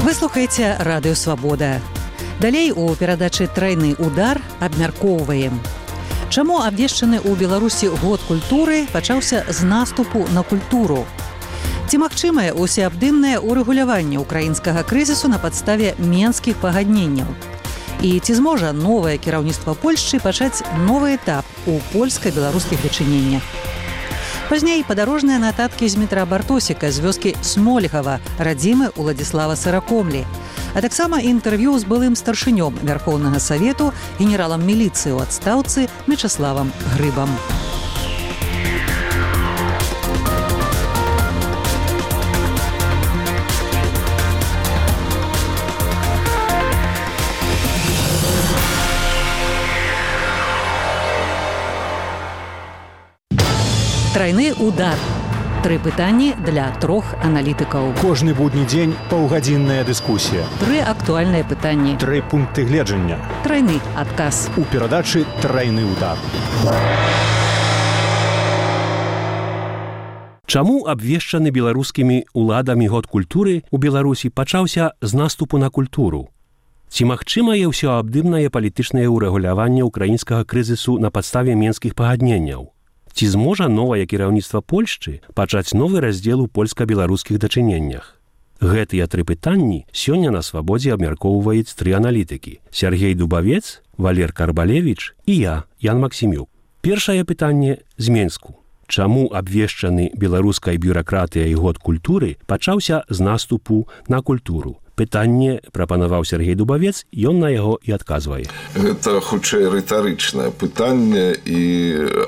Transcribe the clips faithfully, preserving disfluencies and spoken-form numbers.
Вы слухаеце радыё «Свабода». Далей у перадачы «Трайны удар» абмяркоўваем. Чаму абвешчаны ў Беларусі год культуры пачаўся з наступу на культуру? Ці магчымае усеабдымнае урэгуляванне ўкраінскага крызісу на падставе менскіх пагадненняў? І ці зможа новае кіраўніцтва Польшчы пачаць новы этап у польска-беларускіх дачыненнях? Пазней падарожныя нататкі з Дмітра Бартосіка з вёскі Смолігава, радзімы Уладзіслава Сыракомлі, а таксама інтэрв'ю з былым старшынём Вярхоўнага Савету, генералам міліцыі ў адстаўцы Мячаславам Грыбам. Трайны удар. Тры пытанні для трох аналітыкаў. Кожны будні дзень паўгадзінная дыскусія. Тры актуальныя пытанні. Тры пункты гледжання. Трайны адказ. У перадачы «Трайны удар». Чаму абвешчаны беларускімі ўладамі год культуры ў Беларусі пачаўся з наступу на культуру? Ці магчымае ўсеабдымнае палітычнае ўрэгуляванне ўкраінскага крызісу на падставе менскіх пагадненняў? Ці зможа новае кіраўніцтва Польшчы пачаць новы раздзел у польска-беларускіх дачыненнях? Гэтыя тры пытанні сёння на «Свабодзе» абмяркоўваюць тры аналітыкі: Сяргей Дубавец, Валер Карбалевіч і я, Ян Максімюк. Першае пытанне з Менску. Чаму абвешчаны беларускай бюракратыяй год культуры пачаўся з наступу на культуру? Пытанне прапанаваў Сяргей Дубавец, ён на яго і адказвае. Гэта хутчэй рытарычнае пытанне, і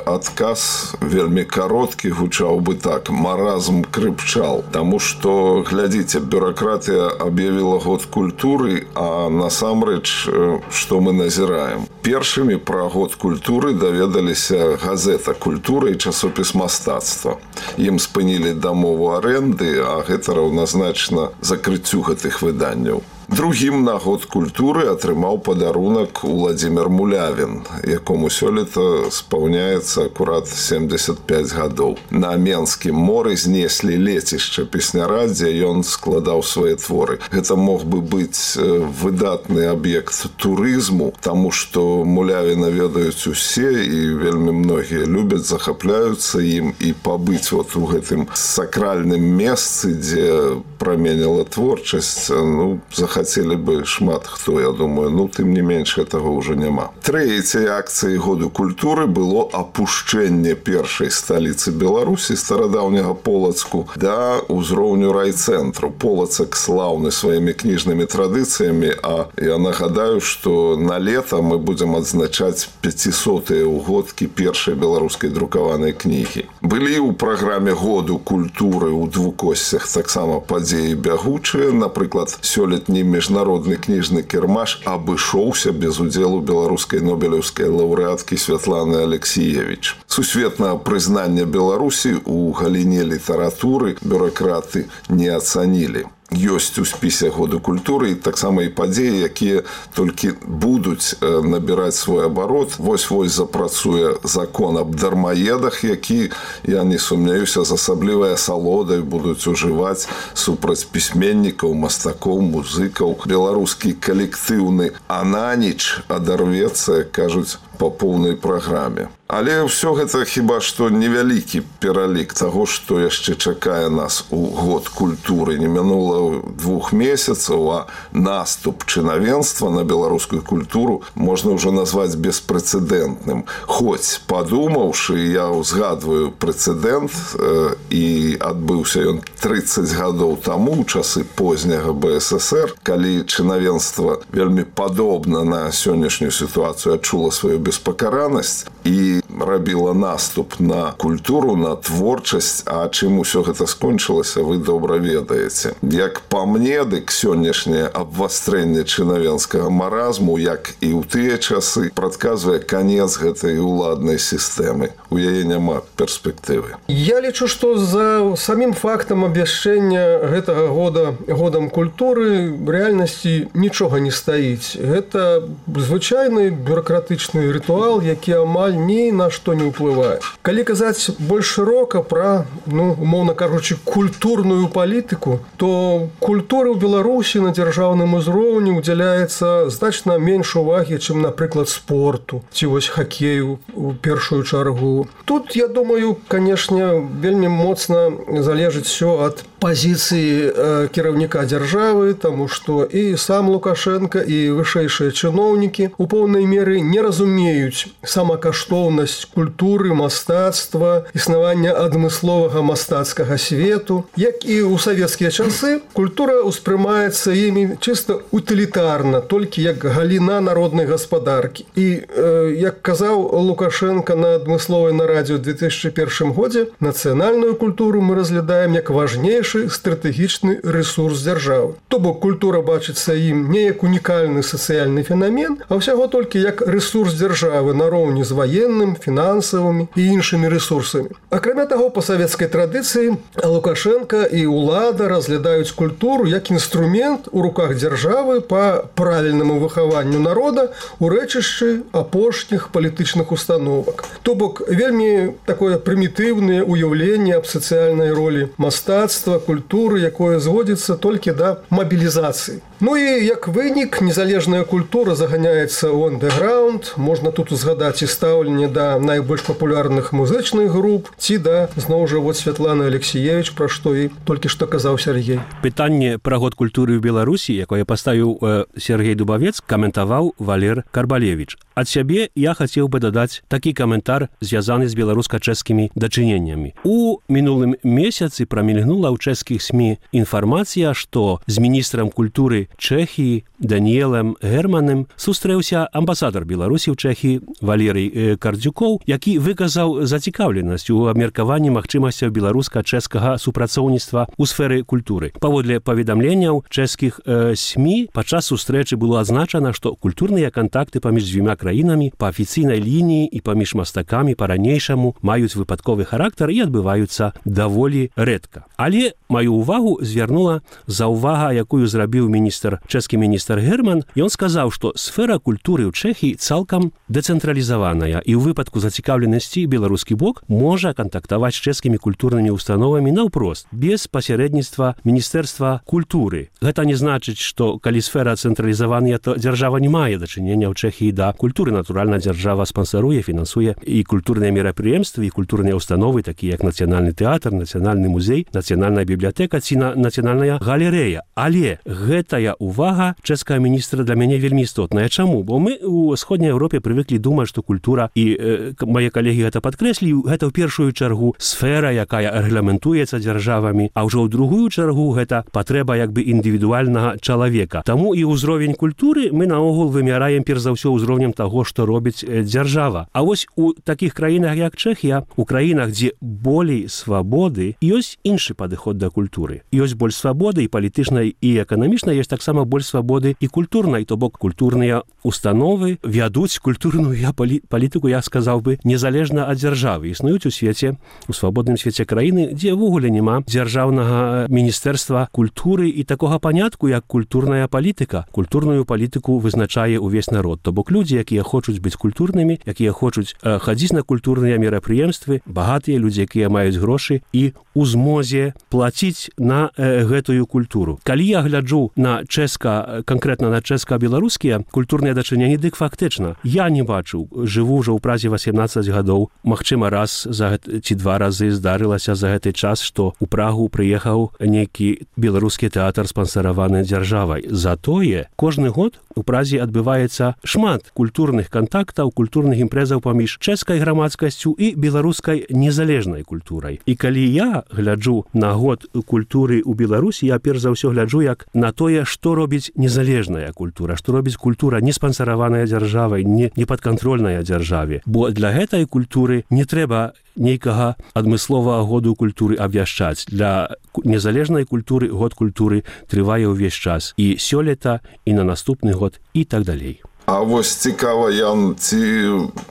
адказ вельмі кароткі гучаў бы так: маразм крыпчал. Таму што, глядзіце, бюракратыя аб'явіла год культуры, а насамрэч што мы назіраем? Першымі пра год культуры даведаліся газета «Культура» і часопіс «Мастацтва». Ім спынілі дамову арэнды, а гэта раўназначна закрыццю гэтых выданняў. Другім на год культуры атрымаў падарунак Уладзімір Мулявін, якому сёлета спаўняецца акурат семдзесят пяць гадоў. На Менскім моры знеслі лецішча песняра, дзе ён складаў свае творы. Гэта мог бы быць выдатны аб'ект турызму, таму што Мулявіна ведаюць усе, і вельмі многія любяць, захапляюцца ім, і пабыць вот у гэтым сакральным месцы, дзе праменіла творчасць, ну, захапляюцца хацелі бы шмат хто, я думаю, ну, тым не менш, гэтага ўжо няма. Трэцяй акцыяй году культуры было апушчэнне першай сталіцы Беларусі, старадаўняга Полацку, да ўзроўню райцэнтру. Полацак слаўны сваімі кніжнымі традыцыямі, а я нагадаю, што на лета мы будзем адзначаць пяцісотыя ўгодкі першай беларускай друкаванай кнігі. Былі ў праграме году культуры ў двукосцях таксама падзеі бягучыя. Напрыклад, сёлетні міжнародны кніжны кірмаш абышоўся без удзелу беларускай нобелеўскай лаўрэаткі Святланы Алексіевіч. Сусветнае прызнанне Беларусі ў галіне літаратуры бюракраты не ацанілі. Ёсць у спісе году культуры і таксама і падзеі, якія толькі будуць набіраць свой абарот. Вось-вось запрацуе закон аб дармаедах, які, я не сумняюся, з асаблівай асалодай будуць ужываць супраць пісьменнікаў, мастакоў, музыкаў. Беларускі калектыўны ананіч адарвецца, кажуць, па поўнай праграме. Але ўсё гэта хіба што невялікі пералік таго, што яшчэ чакае нас у год культуры. Не мінула двух месяцаў, а наступ чынавенства на беларускую культуру можна ўжо назваць беспрэцэдэнтным. Хоць, падумаўшы, я ўзгадваю прэцэдэнт, э, і адбыўся ён трыццаць гадоў таму, у часы позняга бэ эс эсэр, калі чынавенства вельмі падобна на сённяшнюю сітуацыю адчула сваю беспакаранасць і рабіла наступ на культуру, на творчасць, а чым усё гэта скончылася, вы добра ведаеце. Як па мне, дык сённяшняе абвастрэнне чынавенскага маразму, як і ў тыя часы, прадказвае канец гэтай уладнай сістэмы. У яе няма перспектывы. Я лічу, што за самім фактам абвяшчэння гэтага года годам культуры ў рэальнасці нічога не стаіць. Гэта звычайны бюракратычны літургічны рытуал, які амаль ні на што не ўплывае. Калі казаць больш шырока пра, ну, умоўна кажучы, культурную палітыку, то культуры ў Беларусі на дзяржаўным узроўні ўдзяляецца значна менш увагі, чым, напрыклад, спорту, ці вось хакею у першую чаргу. Тут, я думаю, канешне, вельмі моцна залежыць усё ад пазіцыі э, кіраўніка дзяржавы, таму што і сам Лукашенко, і вышэйшыя чыноўнікі у поўнай меры не разумеюць самакаштоўнасць культуры, мастацтва, існавання адмысловага мастацкага свету. Як і ў савецкія часы, культура ўспрымаецца імі чыста утылітарна, толькі як галіна народнай гаспадаркі. І, э, як казаў Лукашенко на адмысловай нарадзе ў две тысячы першым годзе, нацыянальную культуру мы разглядаем як важнейшы стратэгічны рэсурс дзяржавы. То бок культура бачыцца ім не як унікальны сацыяльны фенамен, а ўсяго толькі як рэсурс дзяржавы нароўні з ваенным, фінансавымі і іншымі рэсурсамі. Акрамя таго, па савецкай традыцыі Лукашенко і ўлада разглядаюць культуру як інструмент у руках дзяржавы па правільнаму выхаванню народа у рэчышчы апошніх палітычных установак. То бок вельмі такое прымітыўнае ўяўленне аб сацыяльнай ролі мастацтва, культуры, якое зводзіцца толькі да мабілізацыі. Ну і як вынік, незалежная культура заганяецца ў андэграунд. Можна тут узгадаць і стаўленне да найбольш папулярных музычных груп, ці да, зноў жа, вот Святланы Алексіевіч, пра што і толькі што казаў Сергей. Пытанне пра год культуры ў Беларусі, якое паставіў э, Сергей Дубавец, каментаваў Валер Карбалевіч. Ад сябе я хацеў бы дадаць такі каментар, звязаны з беларуска-чэшскімі дачыненнямі. У мінулым месяцы прамільгнула ў чэшскіх СМІ інфармацыя, што з міністрам культуры Чэхіі Даніэлем Гермаnem сустрэўся амбасадар Беларусі ў Чэхіі Валерый Кардзюкоў, які выказаў зацікаўленасць у абмеркаванні магчымасцяў беларуска-чэшскага супрацоўніцтва ў сферы культуры. Паводле паведамленняў чэшскіх э, СМІ, падчас сустрэчы было адзначана, што культурныя кантакты паміж дзвюма краінамі па афіцыйнай лініі і паміж мастакамі па-ранейшаму маюць выпадковы характар і адбываюцца даволі рэдка. Але маю ўвагу звярнула заўвага, якую зрабіў міністр, чэшскі міністр Герман. Ён сказаў, што сфера культуры ў Чэхіі цалкам дэцэнтралізаваная і ў выпадку зацікаўленасці беларускі бок можа кантактаваць з чэшскімі культурнымі установамі наўпрост, без пасярэдніцтва міністэрства культуры. Гэта не значыць, што калі сфера цэнтралізаваная, то дзяржава не мае дачынення ў Чэхіі да культуры. Натуральна, дзяржава спансаруе, фінансуе і культурныя мерапрыемствы, і культурныя установы, такія як Нацыянальны тэатр, Нацыянальны музей, Нацыянальная бібліятэка ці Нацыянальная галерэя. Але гэтая увага чэшскага міністра для мяне вельмі істотная. Чаму? Бо мы у сходняй Еўропе прывыклі думаць, што культура, і э, мае калегі гэта падкрэслі, гэта ў першую чаргу сфера, якая рэгламентуецца дзяржавамі, а ўжо ў другую чаргу гэта патрэба як бы індывідуальнага чалавека. Таму і ўзровень культуры мы наогул вымяраем перш за ўсё ўзроўнем таго, што робіць дзяржава. А вось у такіх краінах, як Чэхія, у краінах, дзе болей свабоды, ёсць іншы падыход да культуры. Ёсць больш свабоды і палітычнай, і эканамічнай, ёсць таксама больш свабоды і культурнай, то бок культурныя установы вядуць культурную я палі, палітыку, я сказаў бы, незалежна ад дзяржавы. Існуюць у свеце, у свабодным свеце краіны, дзе ўвогуле няма дзяржаўнага міністэрства культуры і такога панятку, як культурная палітыка. Культурную палітыку вызначае ўвесь народ. То бок людзі, якія хочуць быць культурнымі, якія хочуць э, хадзіць на культурныя мерапрыемствы, багатыя людзі, якія маюць грошы і у змозе плаціць на э, гэтую культуру. Калі я гляджу на чэшска, канкрэтна на чэшска-беларускія культурныя дачыненні, дык фактычна я не бачу, жыву ўжо ў празе васемнаццаць гадоў, магчыма, раз за гэт... ці два разы здарылася за гэты час, што ў Прагу прыехаў нейкі беларускі тэатр, спансараваны дзяржавай. Затое кожны год у Празе адбываецца шмат культурных кантактаў, культурных імпрэзаў паміж чэшскай грамадскасцю і беларускай незалежнай культурай. І калі я гляджу на год культуры ў Беларусі, я перш за ўсё гляджу як на тое, што робіць незалежная культура, што робіць культура не спансараваная дзяржавай, не, не падкантрольная дзяржаве. Бо для гэтай культуры не трэба нейкага адмысловага году культуры абвяшчаць. Для незалежнай культуры год культуры трывае ўвесь час. І сёлета, і на наступны год, і так далей. А вось цікава, Ян, ці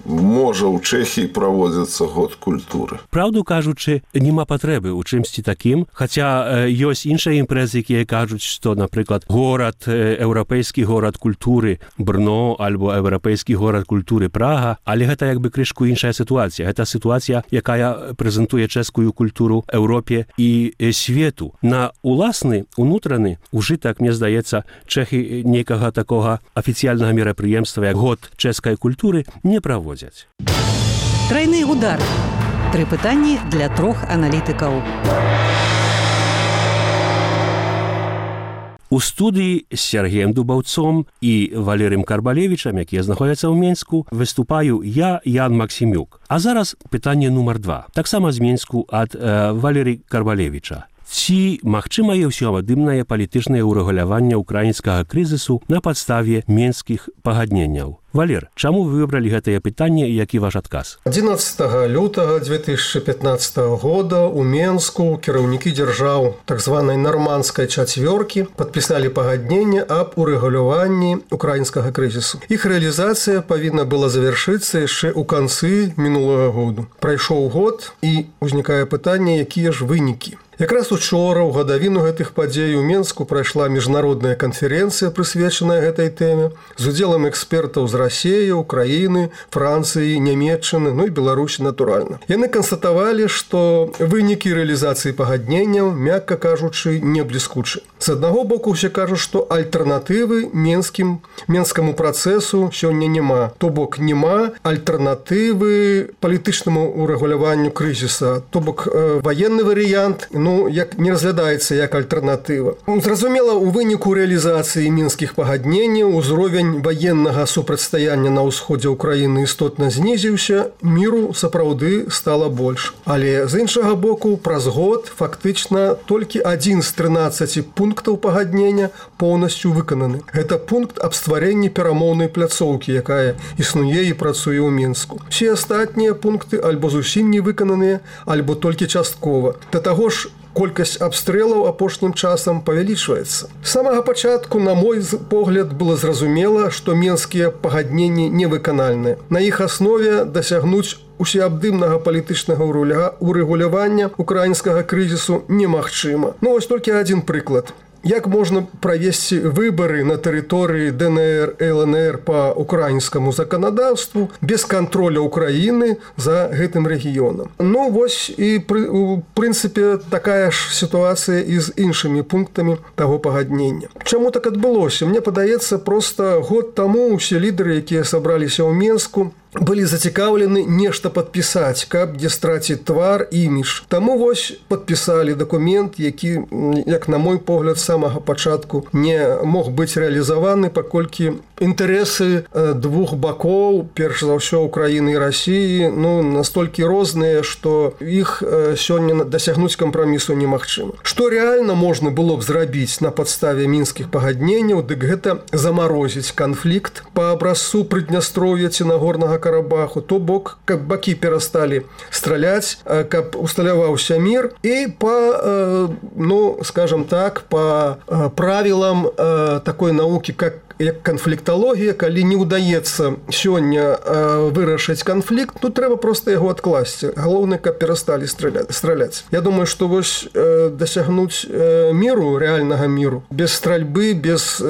можа ў Чэхіі праводзіцца год культуры? Праўду кажучы, няма патрэбы ў чымсьці такім, хаця э, ёсць іншыя імпрэзы, якія кажуць, што, напрыклад, горад, э, еўрапейскі горад культуры Брно альбо еўрапейскі горад культуры Прага, але гэта як бы крышку іншая сітуацыя. Гэта сітуацыя, якая прэзентуе чэшскую культуру Еўропе і э, свету. На уласны, унутраны ужытак, мне здаецца, чэхі нейкага такога афіцыяльнага мерапрыемства, як год чэшскай культуры, не праводзяць. Трайны удар. Тры пытанні для трох аналітыкаў. У студыі з Сергеем Дубаўцом і Валерыем Карбалевічам, якія знаходзяцца ў Менску, выступаю я, Ян Максімюк. А зараз пытанне нумар два. Таксама з Менску ад э, Валерыя Карбалевіча. Ці магчымае ўсеабдымнае палітычнае ўрэгуляванне ўкраінскага крызісу на падставе менскіх пагадненняў? Валер, чаму вы выбралі гэтае пытанне і які ваш адказ? адзінаццатага лютага две тысячи пятнадцатого года у Менску кіраўнікі дзяржаў так званай нарманскай чацвёркі падпісалі пагадненне аб урэгуляванні украінскага крызісу. Іх рэалізацыя павінна была завяршыцца яшчэ ў канцы мінулага году. Прайшоў год і ўзнікае пытанне, якія ж вынікі. Якраз учора ў гадавіну гэтых падзей у Менску прайшла міжнародная канферэнцыя, прысвечаная гэтай тэме, з удзелам экспертаў з Расіі, Украіны, Францыі, Нямецчыны, ну і Беларусі, натуральна. Яны канстатавалі, што вынікі рэалізацыі пагадненняў, мякка кажучы, не бліскучы. З аднаго боку, усе кажуць, што альтэрнатывы менскім, менскаму працэсу сёння няма. То бок няма альтэрнатывы палітычнаму урэгуляванню крызіса. То бок э, ваенны варыянт, ну, як не разглядаецца як альтэрнатыва. Зразумела, у выніку рэалізацыі мінскіх пагадненняў узровень ваеннага супрацьстаяння на ўсходзе ўкраіны істотна знізіўся, міру сапраўды стала больш. Але з іншага боку, праз год фактычна толькі адзін з трынаццаці пунктаў пагаднення поўнасцю выкананы. Гэта пункт аб стварэнні перамоўнай пляцоўкі, якая існуе і працуе ў Мінску. Усе астатнія пункты альбо зусім не выкананыя, альбо толькі часткова. Да таго ж, колькасць абстрэлаў апошнім часам павялічваецца. З самага пачатку, на мой погляд, было зразумела, што менскія пагадненні невыканальныя. На іх аснове дасягнуць усеабдымнага палітычнага урэгулявання украінскага крызісу немагчыма. Ну, вось толькі адзін прыклад. Як можна правесці выбары на тэрыторыі дэ эн эр, эл эн эр па украінскаму заканадаўству без кантроля Украіны за гэтым рэгіёнам? Ну, вось і, у прынцыпе, такая ж сітуацыя і з іншымі пунктамі таго пагаднення. Чаму так адбылося? Мне падаецца, проста год таму усе лідары, якія сабраліся ў Менску, былі зацікаўлены нешта падпісаць, каб не страціць твар, імідж. Таму вось падпісалі дакумент, які, як на мой погляд, з самага пачатку не мог быць рэалізаваны, паколькі інтарэсы двух бакоў, перш за ўсё Украіны і Расіі, ну, настолькі розныя, што іх сёння дасягнуць кампрамісу немагчыма. Што рэальна можна было б зрабіць на падставе мінскіх пагадненняў, дык гэта замарозіць канфлікт па абразцу Прыднястроўя ці Нагорнага Карабаху, то бок, каб бакі перасталі страляць, каб усталяваўся мір і па, ну, скажем так, па правілам такой навукі, как як канфлікталогія, калі не ўдаецца сёння вырашыць канфлікт, ну, трэба проста яго адкласці. Галоўнае, каб перасталі страляць. Я думаю, што вось дасягнуць міру, рэальнага міру, без стральбы, без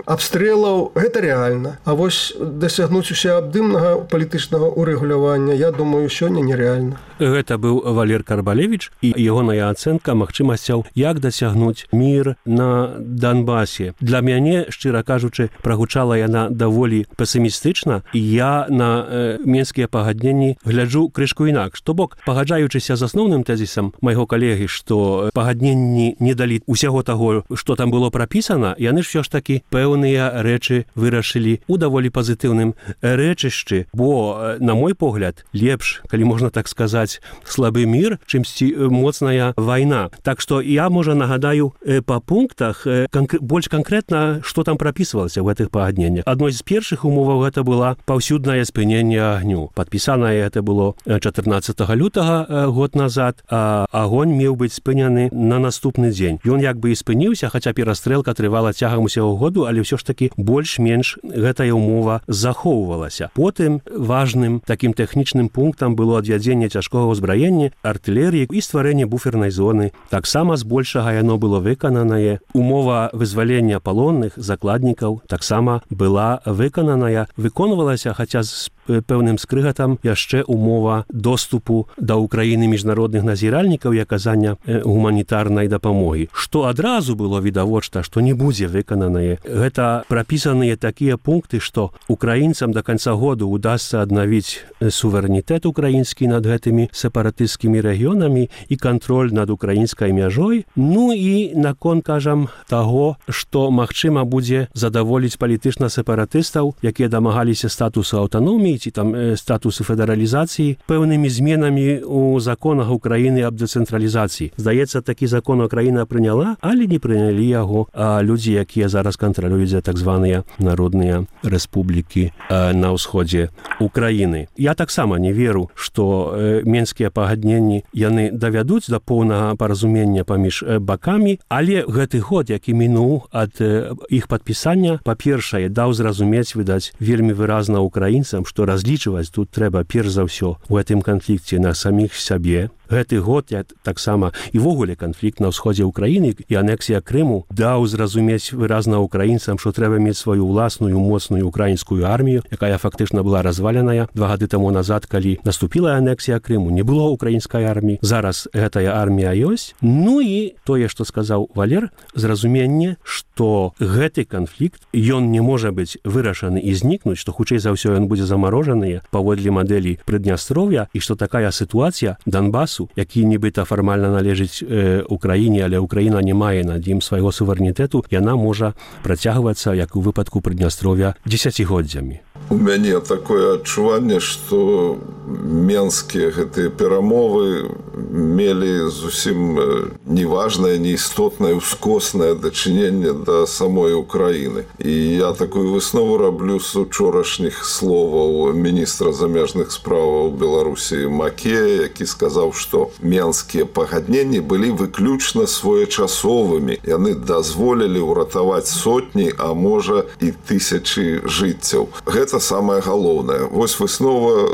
абстрэлаў, гэта рэальна. А вось дасягнуць усеабдымнага палітычнага урэгулявання, я думаю, сёння нерэальна. Гэта быў Валер Карбалевіч і ягоная ацэнка магчымасцяў, як дасягнуць мір на Донбасе. Для мяне, шчыра кажучы, прагучала яна даволі песімістычна, і я на э, менскія пагадненні гляджу крышку інакш. То бок, пагаджаючыся з асноўным тэзісам майго калегі, што пагадненні не далі ўсяго таго, што там было прапісана, яны ж ўсё ж такі пэўныя рэчы вырашылі у даволі пазітыўным рэчышчы, бо, на мой погляд, лепш, калі можна так сказаць, слабы мір, чымсьці моцная вайна. Так што я, можа, нагадаю па пунктах канкр... больш канкрэтна, што там прапісвалася. ў гэтых пагадненнях. Адной з першых умоваў гэта была паўсюднае спыненне агню. Падпісанае гэта было чатырнаццатага лютага год назад, а агонь меў быць спыняны на наступны дзень. Ён як бы і спыніўся, хаця перастрэлка трывала цягам усяго году, але ўсё ж такі больш-менш гэтая умова захоўвалася. Потым важным такім тэхнічным пунктам было адвядзенне цяжкога ўзбраення, артылерыі і стварэнне буфернай зоны. Таксама збольшага яно было выкананае. Умова вызвалення палонных, закладнікаў таксама была выкананая, выконвалася, хаця з пэўным скрыгатам яшчэ умова доступу да ўкраіны міжнародных назіральнікаў і аказання гуманітарнай дапамогі. Што адразу было відавочна, што не будзе выкананае. Гэта прапісаныя такія пункты, што украінцам да канца году удасца аднавіць суверэнітэт украінскі над гэтымі сепаратысцкімі рэгіёнамі і кантроль над украінскай мяжой. Ну і наконт, кажам, таго, што магчыма будзе задаволіць палітычна сепаратыстаў, якія дамагаліся статусу аўтаноміі ці там статусу федэралізацыі пэўнымі зменамі ў законах Украіны аб дэцэнтралізацыі. Здаецца, такі закон Украіна прыняла, але не прынялі яго а людзі, якія зараз кантралююць за так званыя народныя рэспублікі на ўсходзе Украіны. Я таксама не веру, што менскія пагадненні яны давядуць да поўнага паразумення паміж бакамі, але гэты год, які мінуў ад іх падпісання, па-першае, даў зразумець, відаць, вельмі выразна украінцам, што разлічваць тут трэба перш за ўсё у гэтым канфлікце на саміх сябе. Гэты год я таксама і ввогуле канфлікт на ўсходзе Украіны і анексія Крыму даў зразумець выразна украінцам, што трэба мець сваю ўласную моцную украінскую армію, якая фактычна была разваленая два гады таму назад, калі наступіла анексія Крыму, не было украінскай арміі. Зараз гэтая армія ёсць. Ну і тое, што сказаў Валер, зразуменне, што гэты канфлікт, ён не можа быць вырашаны і знікнуць, што хутчэй за ўсё ён будзе замарожаны паводле мадэлі Прыднястров'я і што такая сітуацыя Донбасу, які нібыта фармальна належыць э, Украіне, але Украіна не мае над ім свайго суверэнітэту, яна можа працягвацца, як у выпадку Прыднястров'я, дзесяцігоддзямі. У мяне такое адчуванне, што менскія гэтыя перамовы мелі зусім неважнае, неістотнае, ускоснае дачыненне да самой Украіны. І я такую выснову раблю з учорашніх словаў міністра замежных справаў Беларусі Макея, які сказаў, што менскія пагадненні былі выключна своечасовымі. Яны дазволілі ўратаваць сотні, а можа і тысячы жыццяў. Гэта самае галоўнае. Вось выснова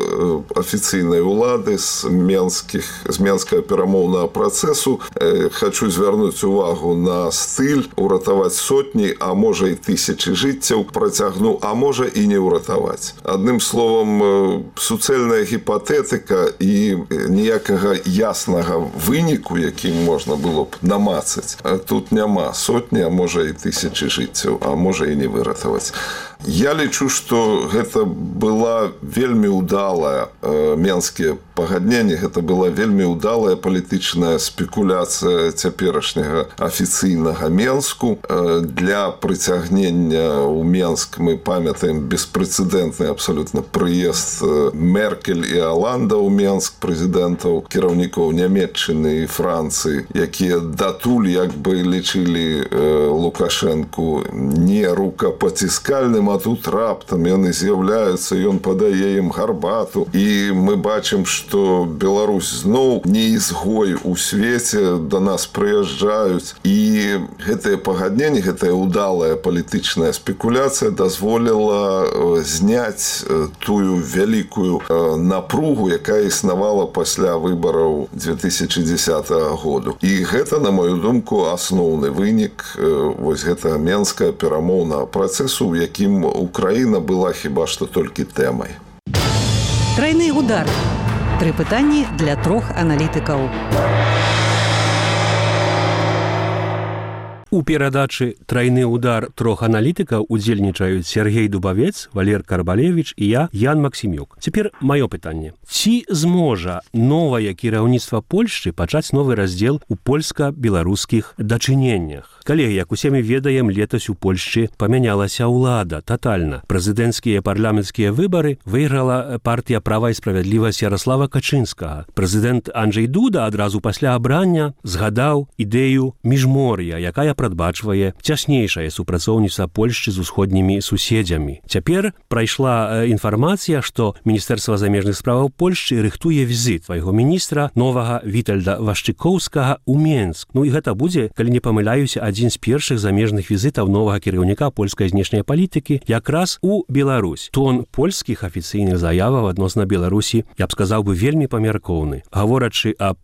афіцыйнай улады з менскіх, з менскага перамоўнага працэсу. Э, хочу звярнуць увагу на стыль уратаваць сотні, а можа і тысячы жыццяў працягну, а можа і не ўратаваць. Адным словам, суцэльная гіпатэтыка і ніякага яснага выніку, якім можна было б намацаць, тут няма сотні, а можа і тысячы жыццяў, а можа і не выратаваць. Я лічу, што гэта была вельмі ўдалая э, менскія пагадненні, гэта была вельмі ўдалая палітычная спекуляцыя цяперашняга афіцыйнага Менску. Э, для прыцягнення ў Менск мы памятаем беспрэцэдэнтны абсалютна прыезд Меркель і Аланда ў Менск, прэзідэнтаў, кіраўнікоў Нямецчыны і Францыі, якія датуль як бы лічылі э, Лукашэнку не рукапаціскальным, а тут раптам яны з'яўляюцца, ён падае ім гарбату. І мы бачым, што Беларусь зноў не ізгой у свеце, да нас прыязджаюць. І гэтае пагадненне, гэтая ўдалая палітычная спекуляцыя дазволіла зняць тую вялікую напругу, якая існавала пасля выбараў две тысячи дзесятага году. І гэта, на мою думку, асноўны вынік вось гэтага менскага перамоўнага працэсу, у якім Украіна была хіба што толькі тэмай. Трайны удар. Тры пытанні для трох аналітыкаў. У перадачы «Трайны удар» трох аналітыкаў удзельнічаюць Сергей Дубавец, Валер Карбалевіч і я, Ян Максімюк. Цяпер маё пытанне. Ці зможа новае кіраўніцтва Польшчы пачаць новы раздзел у польска-беларускіх дачыненнях? Калегі, як усе мы ведаем, летась у Польшчы памянялася ўлада татальна. Прэзідэнцкія парламенцкія выбары выйграла партыя «Права і справядлівасць» Ярослава Качынскага. Прэзідэнт Анджэй Дуда адразу пасля абрання згадаў ідэю міжмор'я, якая прадбачвае цяснейшае супрацоўніцтва Польшчы з усходнімі суседзямі. Цяпер прайшла інфармацыя, што Міністэрства замежных справаў Польшчы рыхтуе візіт свайго міністра новага Вітальда Вашчыкоўскага ў Менск. Ну і гэта будзе, калі не памыляюся, адзін з першых замежных візітаў новага кіраўніка польскай знешняй палітыкі якраз у Беларусь. Тон польскіх афіцыйных заяваў адносна Беларусі, я б сказаў бы, вельмі памяркоўны. Гаворачы аб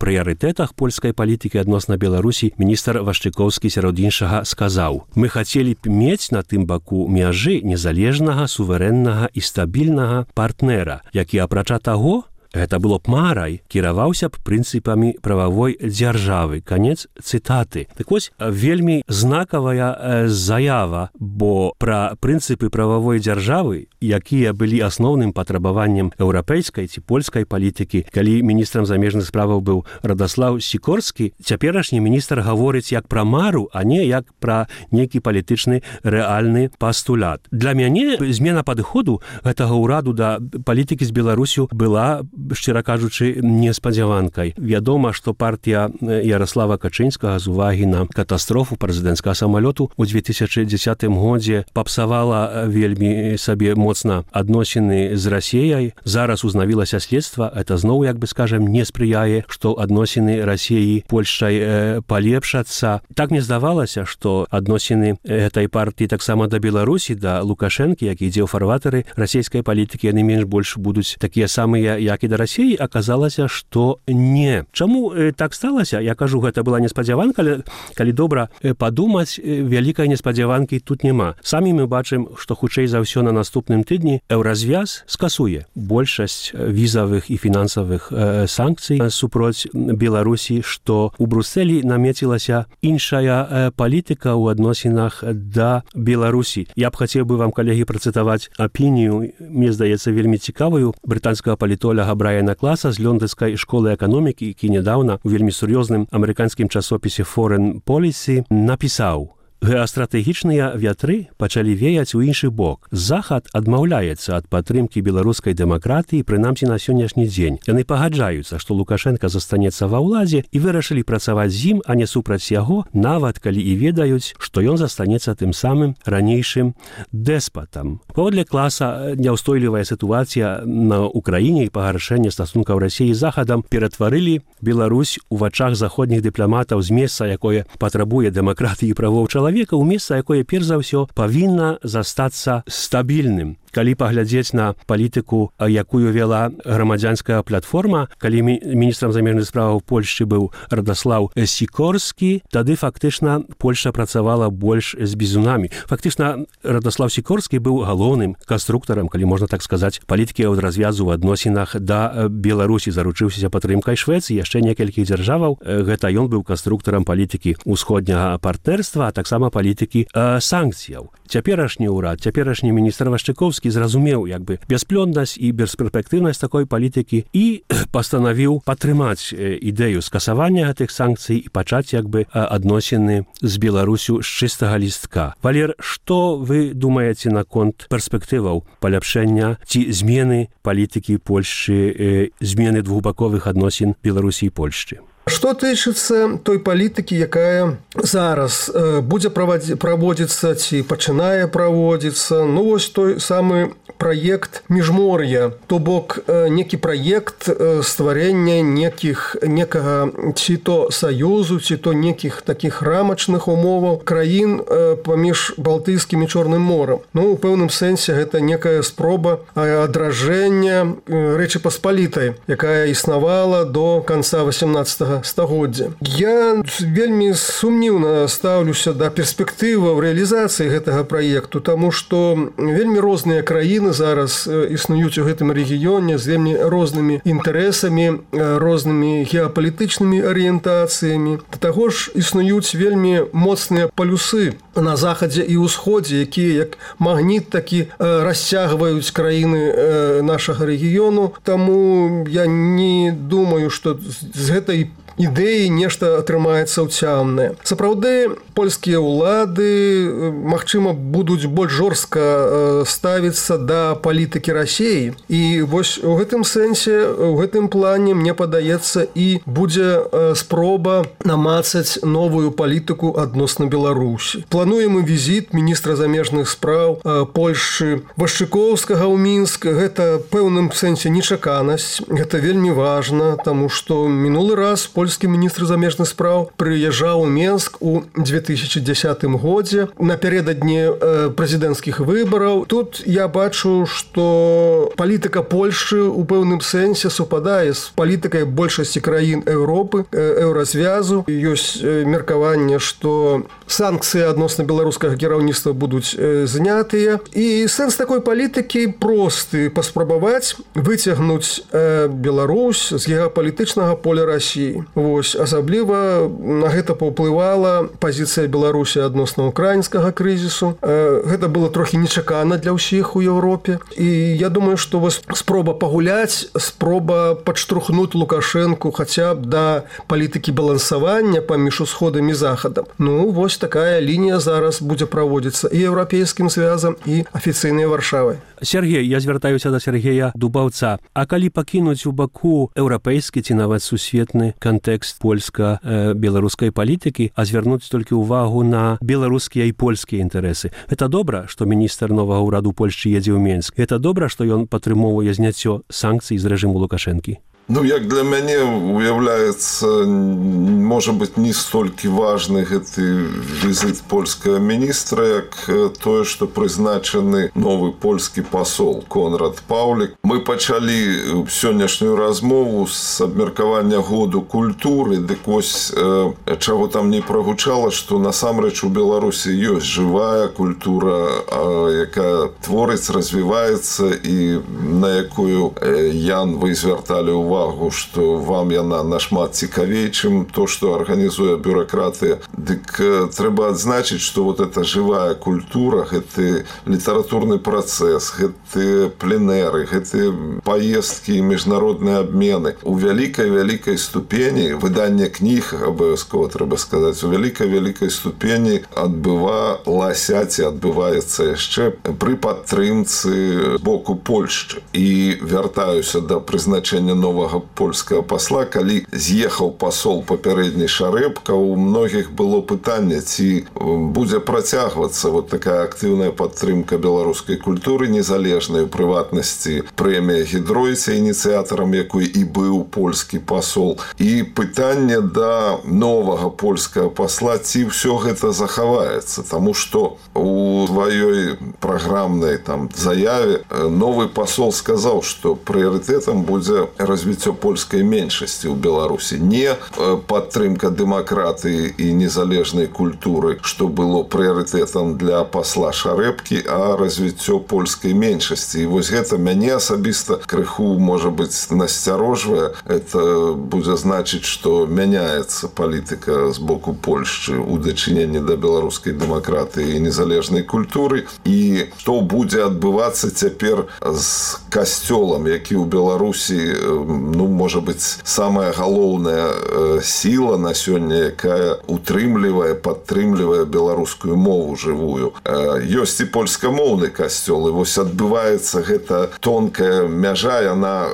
прыярытэтах польскай палітыкі адносна Беларусі, міністр Вашчыкоўскі сярод іншага сказаў: «Мы хацелі б мець на тым баку мяжы незалежнага, суверэннага і стабільнага партнера, які, апрача таго, гэта было б марай, кіраваўся б прынцыпамі прававой дзяржавы». Канец цытаты. Так вось, вельмі знакавая заява, бо пра прынцыпы прававой дзяржавы, якія былі асноўным патрабаваннем еўрапейскай ці польскай палітыкі, калі міністрам замежных справаў быў Радаслаў Сікорскі, цяперашні міністр гаворыць як пра мару, а не як пра нейкі палітычны рэальны пастулят. Для мяне змена падыходу гэтага ўраду да палітыкі з Беларусю была, шчыра кажучы, неспадзяванкай. Вядома, што партыя Ярослава Качынскага з увагі на катастрофу прэзідэнцкага самалёту ў две тысячы дзесятым годзе папсавала вельмі сабе моцна адносіны з Расіяй. Зараз узнавілася следства, это зноў, як бы скажем, не спрыяе, што адносіны Расіі Польшчай э, палепшацца. Так мне здавалася, што адносіны гэтай партыі таксама да Беларусі, да Лукашэнкі, які ідзе ў фарватары расійскай палітыкі, яны менш больш будуць такія самыя, як і да Расіі. Аказалася, што не. Чаму э, так сталася? Я кажу, гэта была неспадзяванка, але калі добра э, падумаць, э, вялікай неспадзяванкі тут няма. Самі мы бачым, што хутчэй за ўсё на наступным тыдні Еўразвяз скасуе большасць візавых і фінансавых э, санкцый супроць Беларусі, што ў Брусэлі намецілася іншая э, палітыка ў адносінах да Беларусі. Я б хацеў бы вам, калегі, працытаваць апінію, мне здаецца, вельмі цікавую, брытанскага палітоляга Брайана Класа з лондонскай школы эканомікі, які нядаўна у вельмі сур'ёзным амерыканскім часопісе Foreign Policy напісаў: «Геастратэгічныя вятры пачалі веяць у іншы бок. Захад адмаўляецца ад падтрымкі беларускай дэмакратыі, прынамсі на сённяшні дзень. Яны пагаджаюцца, што Лукашенка застанецца ва ўладзе і вырашылі працаваць з ім, а не супраць яго, нават калі і ведаюць, што ён застанецца тым самым ранейшым дэспатам». Паводле Класа, няўстойлівая сітуацыя на Украіне і пагаршэнне стасункаў Расіі з Захадам ператварылі Беларусь у вачах заходніх дыпламатаў з месца, якое патрабуе дэмакратыі і правоў чалавека, у месца, якое перш за ўсё павінна застацца стабільным. Калі паглядзець на палітыку, якую вела грамадзянская платформа, калі міністрам замежных справаў Польшчы быў Радаслаў Сікорскі, тады фактычна Польшча працавала больш з бізунамі. Фактычна Радаслаў Сікорскі быў галоўным канструктарам, калі можна так сказаць, палітыкі развязу ў адносінах да Беларусі, заручыўся падтрымкай Швецыі, яшчэ некалькіх дзяржаваў. Гэта ён быў канструктарам палітыкі ўсходняга партнерства, а таксама палітыкі э, санкцыяў. Цяперашні ўрад, цяперашні міністр Вашчыкоўскі зразумеў як бы бясплённасць і бесперспектыўнасць такой палітыкі і пастанавіў падтрымаць ідэю скасавання гэтых санкцый і пачаць як бы адносіны з Беларусю з чыстага лістка. Валер, што вы думаеце наконт перспектываў паляпшэння ці змены палітыкі Польшчы, змены двухбаковых адносін Беларусі і Польшчы? Што тычыцца той палітыкі, якая зараз э, будзе праводзіцца ці пачынае праводзіцца, ну вось той самы праект міжмор'я, то бок э, некі праект э, стварэння некіх некага ці то саюзу, ці то некіх такіх рамачных умоваў краін э, паміж Балтыйскім і Чорным морам. Ну, у пэўным сэнсе гэта некая спроба адражэння э, Рэчы Паспалітай, якая існавала до канца васямнаццатага стагоддзя. Я вельмі сумніўна стаўлюся да перспектываў рэалізацыі гэтага праекту, таму што вельмі розныя краіны зараз існуюць у гэтым рэгіёне з вельмі рознымі інтарэсамі, рознымі геапалітычнымі арыентацыямі. Да таго ж існуюць вельмі моцныя палюсы на захадзе і ўсходзе, якія як магніт такі расцягваюць краіны нашага рэгіёну. Таму я не думаю, што з гэтай ідэі нешта атрымаецца ўцямнае. Сапраўды, польскія ўлады, магчыма, будуць больш жорстка ставіцца да палітыкі Расіі. І вось у гэтым сэнсе, у гэтым плане, мне падаецца, і будзе спроба намацаць новую палітыку адносна Беларусі. Плануем і візіт міністра замежных спраў Польшчы Вашчыкоўскага ў Мінск. Гэта пэўным сэнсе нечаканасць. Гэта вельмі важна, таму што мінулы раз польскі міністр замежных спраў прыязджаў у Мінск у две тысячи дзесятым годзе напярэдадні прэзідэнцкіх выбараў. Тут я бачу, што палітыка Польшчы ў пэўным сэнсе супадае з палітыкай большасці краін Еўропы, еўразвязу. Ёсць меркаванне, што санкцыі адносна беларускага кіраўніцтва будуць знятыя. І сэнс такой палітыкі просты: паспрабаваць выцягнуць Беларусь з геапалітычнага поля Расіі. Вось, асабліва на гэта паўплывала пазіцыя Беларусі адносна украінскага крызісу. Гэта было трохі нечакана для ўсіх у Еўропе. І я думаю, што вось спроба пагуляць, спроба падштурхнуць Лукашэнку хаця б да палітыкі балансавання паміж усходам і захадам. Ну, вось такая лінія зараз будзе праводзіцца і еўрапейскім звязам, і афіцыйнай Варшавай. Сергей, я звяртаюся да Сергея Дубаўца. А калі пакінуць у баку еўрапейскі ці нават сусветны кантэкст польска-беларускай палітыкі, а звярнуць толькі ўвагу на беларускія і польскія інтарэсы. Гэта добра, што міністр новага ўраду Польшчы едзе ў Мінск. Гэта добра, што ён падтрымоўвае зняццё санкцый з рэжыму Лукашэнкі. Ну, як для мяне уяўляецца, можа быць, не столькі важны гэты візіт польскага міністра, як тое, што прызначаны новы польскі пасол Конрад Паўлік. Мы пачалі сённяшнюю размову з абмеркавання году культуры, дык вось чаго там не прагучала, што насамрэч у Беларусі ёсць жывая культура, якая творыць, развіваецца і на якую, Ян, вы звярталі ўвагу, што вам яна нашмат цікавей, чым то, што арганізуе бюракратыя. Дык трэба адзначыць, што вот эта жывая культура, гэты літаратурны працэс, гэты пленэры, гэты паездкі і міжнародныя абмены у вялікай-вялікай ступені, выданне кніг, абавязкова трэба сказаць, у вялікай-вялікай ступені адбывалася ці адбываецца яшчэ пры падтрымцы боку Польшчы. І вяртаюся да прызначэння новага польскага пасла, калі з'ехаў пасол папярэдні Шарэбка, у многіх было пытанне, ці будзе працягвацца вот такая актыўная падтрымка беларускай культуры незалежнай, у прыватнасці прэмія Гідройця, ініцыятарам якой і быў польскі пасол. І пытанне да новага польскага пасла, ці ўсё гэта захаваецца, таму што у сваёй праграмнай там заяве новы пасол сказаў, што прыярытэтам будзе развіццё польскай меншасці ў Беларусі, не падтрымка дэмакратыі і незалежнай культуры, што было прыярытэтам для пасла Шарэбкі, а развіццё польскай меншасці. І вось гэта мяне асабіста крыху, можа быць, насцярожвае. Это будзе значыць, што мяняецца палітыка з боку Польшчы ў дачыненні да беларускай дэмакратыі і незалежнай культуры. І што будзе адбывацца цяпер з касцёлам, які ў Беларусі, ну, можа быць, самая галоўная сіла на сёння, якая утрымлівае, падтрымлівае беларускую мову жывую. Ёсць і польскамоўны касцёл, і вось адбываецца гэта тонкая мяжа, яна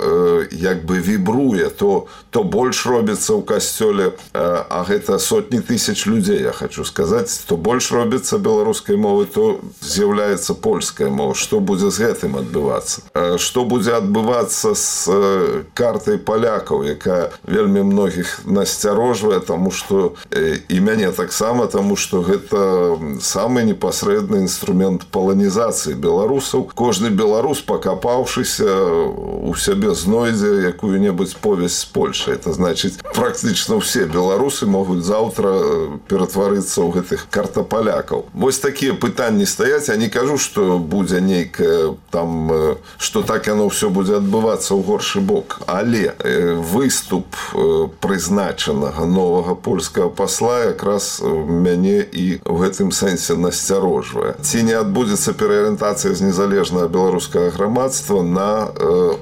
як бы вібруе, то, то больш робіцца ў касцёле, а гэта сотні тысяч людзей, я хочу сказаць, то больш робіцца беларускай мовы, то з'яўляецца польская мова. Што будзе з гэтым адбывацца? Што будзе адбывацца з картай палякаў, якая вельмі многіх насцярожвае, таму што і мяне таксама, таму што гэта самы непасрэдны інструмент паланізацыі беларусаў. Кожны беларус, пакапаўшыся, у сябе знойдзе якую-небудзь повесць з Польшай. Это значыць, практычна ўсе беларусы могуць заўтра ператварыцца ў гэтых картапалякаў. Вось такія пытанні стаяць. Я не кажу, што будзе нейкае там, што так яно ўсё будзе адбывацца ў горшы бок. Але выступ прызначанага новага польскага пасла якраз мяне і ў гэтым сэнсе насцярожвае. Ці не адбудзецца пераарыентацыя з незалежнага беларускага грамадства на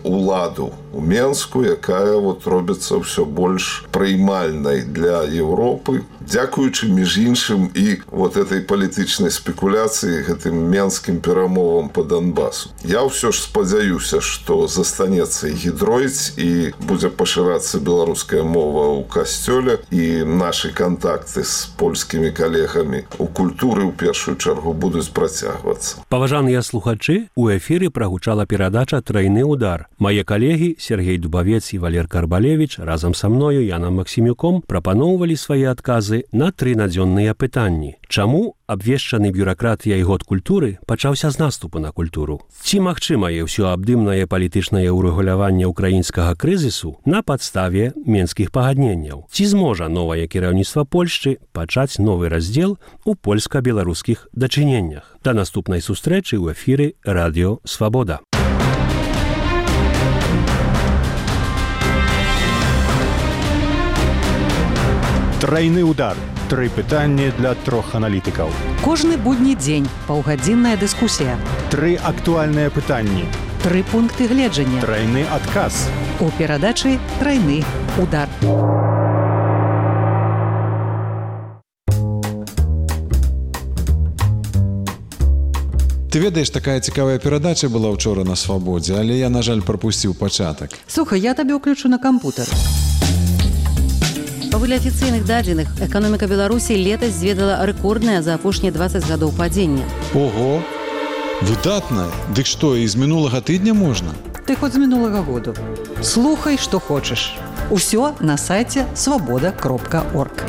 уладу у Менску, якая вот робіцца ўсё больш прыймальнай для Европы, дзякуючы між іншым і вот этой палітычнай спекуляцыі гэтым менскім перамовам по Донбасу. Я ўсё ж спадзяюся, што застанецца і гідройць, і будзе пашырацца беларуская мова ў касцёле, і нашы кантакты з польскімі калегамі у культуры ў першую чаргу будуць працягвацца. Паважаныя слухачы, у эфіры прагучала перадача «Трайны удар». Мае калегі Сергей Дубавец і Валер Карбалевіч разам са мною, Янам Максімюком, прапаноўвалі свае адказы на тры надзённыя пытанні. Чаму абвешчаны бюракратыяй год культуры пачаўся з наступу на культуру? Ці магчымае ўсёабдымнае палітычнае ўрэгуляванне ўкраінскага крызісу на падставе менскіх пагадненняў? Ці зможа новае кіраўніцтва Польшчы пачаць новы раздзел у польска-беларускіх дачыненнях? Да наступнай сустрэчы ў эфіры Радыё Свабода. Трайны удар. Тры пытанні для трох аналітыкаў. Кожны будні дзень паўгадзінная дыскусія. Тры актуальныя пытанні. Тры пункты гледжання. Трайны адказ. У перадачы «Трайны удар». Ты ведаеш, такая цікавая перадача была ўчора на Свабодзе, але я, на жаль, прапусціў пачатак. Слухай, я табе ўключу на кампутер. Паводле афіцыйных дадзеных, эканоміка Беларусі летась зведала рэкорднае за апошнія дваццаць гадоў падзення. Ого! Выдатна! Дык што, і з мінулага тыдня можна? Ты хоць з мінулага году. Слухай, што хочаш. Усё на сайце свабода кропка орг.